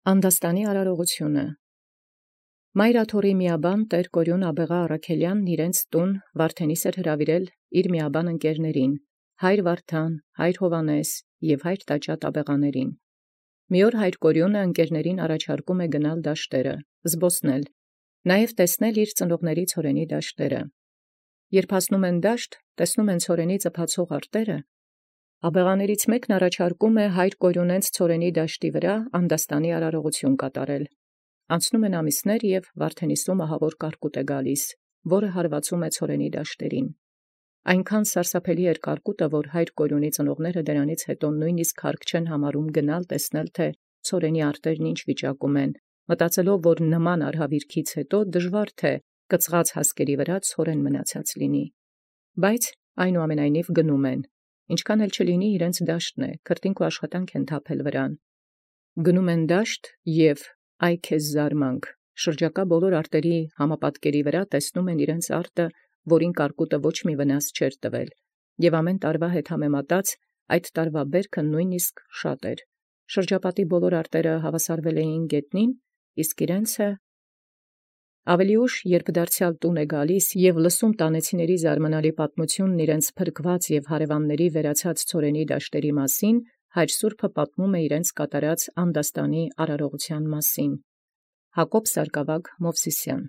Անդաստանի արարողութիւնը։ Մայրաթորի միաբան Տէր Կորյուն Աբեղայ Առաքելեան տուն Վարդենիս հրաւիրել միաբան ընկերացն, հայր Վարդան, հայր Հովհաննես և հայր Տաճատ աբեղաներին։ Մի օր հայր Կորյունը ընկերացն առաջարկէ գնալ զբոսնել դաշտերը, նաև տեսնել ծնողացն ցորենի դաշտերը։ Երբ հասանէին դաշտ, տեսանէին ցորենի ծփացող արտերը, աբեղաներիցն մէկն առաջարկէ հայր Կորիւնեաց ցորենի դաշտի անդաստանի արարողութիւն կատարել։ Անցնէին ամիսներ, և Վարդենիսու մահաւոր կարկուտ գալիս, որը յարուացէ ցորենի դաշտերին։ Այնչափ սարսափելի կարկուտը, որ հայր Կորյունի ծնողքն դրանից յետոյ նոյնիսկ հարգ չեն գնալ տեսնել, թէ ցորենի արտերն ինչ վիճակում են, մտածելով, որ նման արհավիրքից յետոյ դժուար թէ կծղած հասկերու ցորեն մնացեալ լինի։ Բայց այնուամենայնիվ գնային, ինչքան էլ չլինի իրանց դաշտն է, քրտինք ու աշխատանք են թափել վրան։ Գնային դաշտ և այ քեզ զարմանք, շրջակա բոլոր արտերի համապատկերի տեսնէին իրանց արտը, որին կարկուտը ոչ մի վնաս չէր տվել, և ամեն տարվա հետ համեմատած այդ տարվա բերքը նոյնիսկ շատ էր։ Շրջապատի բոլոր արտերը հաւասարվել էին գետնին, իսկ իրանցե ավելի ուշ, երբ դարձեալ տուն գալիս և լսում տանեցիցն զարմանալի պատմութիւնն իրանց փրկված և հարևանացն վերացած ցորենի դաշտերն մասին, հայր սուրբը պատմէ իրանց կատարած անդաստանի արարողութեան մասին։ Հակոբ Սարգսակ Մովսիսյան։